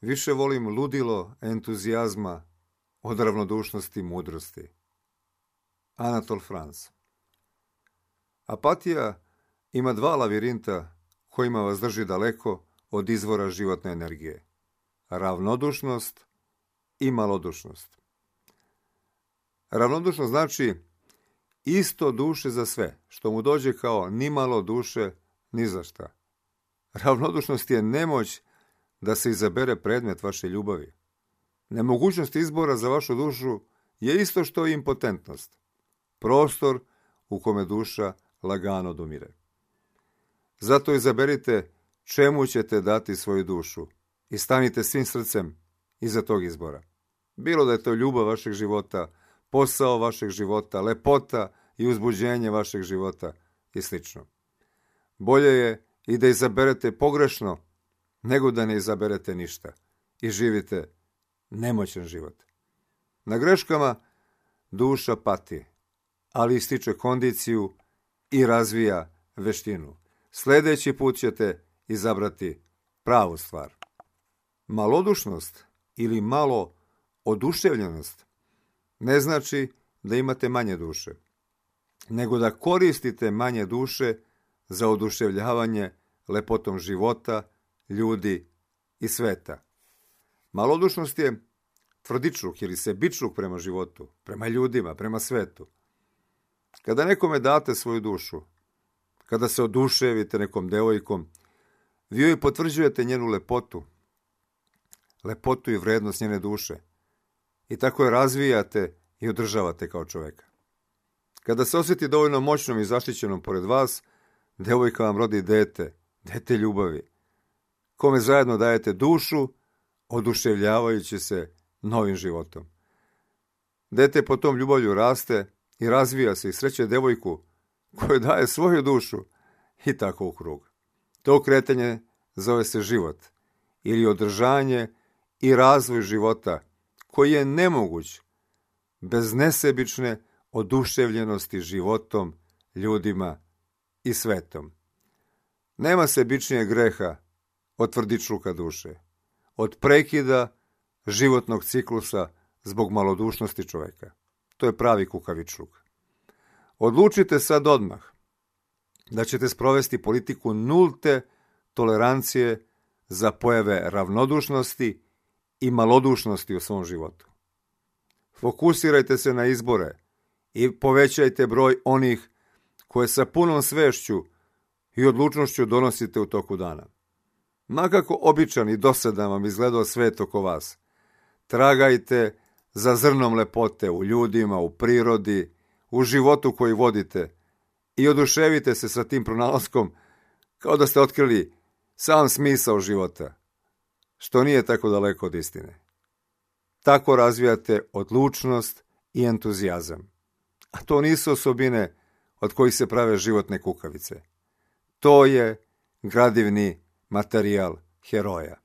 Više volim ludilo entuzijazma od ravnodušnosti i mudrosti. Anatol France. Apatija ima dva lavirinta kojima vas drži daleko od izvora životne energije. Ravnodušnost i malodušnost. Ravnodušnost znači isto duše za sve, što mu dođe kao ni malo duše ni za šta. Ravnodušnost je nemoć da se izabere predmet vaše ljubavi. Nemogućnost izbora za vašu dušu je isto što i impotentnost. Prostor u kome duša lagano odumire. Zato izaberite čemu ćete dati svoju dušu i stanite svim srcem iza tog izbora. Bilo da je to ljubav vašeg života, posao vašeg života, lepota i uzbuđenje vašeg života i sl. Bolje je i da izaberete pogrešno nego da ne izaberete ništa i živite nemoćan život. Na greškama duša pati, ali ističe kondiciju i razvija veštinu. Sljedeći put ćete izabrati pravu stvar. Malodušnost ili malo oduševljenost ne znači da imate manje duše, nego da koristite manje duše za oduševljavanje lepotom života, ljudi i sveta. Malodušnost je tvrdičluk ili sebičluk prema životu, prema ljudima, prema svetu. Kada nekome date svoju dušu, kada se oduševite nekom devojkom, vi joj potvrđujete njenu lepotu i vrednost njene duše i tako je razvijate i održavate kao čoveka. Kada se osjeti dovoljno moćnom i zaštićenom pored vas, devojka vam rodi dete ljubavi, kome zajedno dajete dušu, oduševljavajući se novim životom. Dete po tom ljubavlju raste i razvija se i sreće devojku koju daje svoju dušu i tako u krug. To kretanje zove se život ili održanje i razvoj života koji je nemoguć bez nesebične oduševljenosti životom, ljudima i svetom. Nema sebičnijeg greha od tvrdičluka duše, od prekida životnog ciklusa zbog malodušnosti čoveka. To je pravi kukavičluk. Odlučite sad odmah da ćete sprovesti politiku nulte tolerancije za pojave ravnodušnosti i malodušnosti u svom životu. Fokusirajte se na izbore i povećajte broj onih koje sa punom svešću i odlučnošću donosite u toku dana. Makako običan i dosadan vam izgledao svet oko vas, tragajte za zrnom lepote u ljudima, u prirodi, u životu koji vodite i oduševite se sa tim pronalaskom kao da ste otkrili sam smisao života, što nije tako daleko od istine. Tako razvijate odlučnost i entuzijazam. A to nisu osobine od kojih se prave životne kukavice. To je gradivni materijal heroja.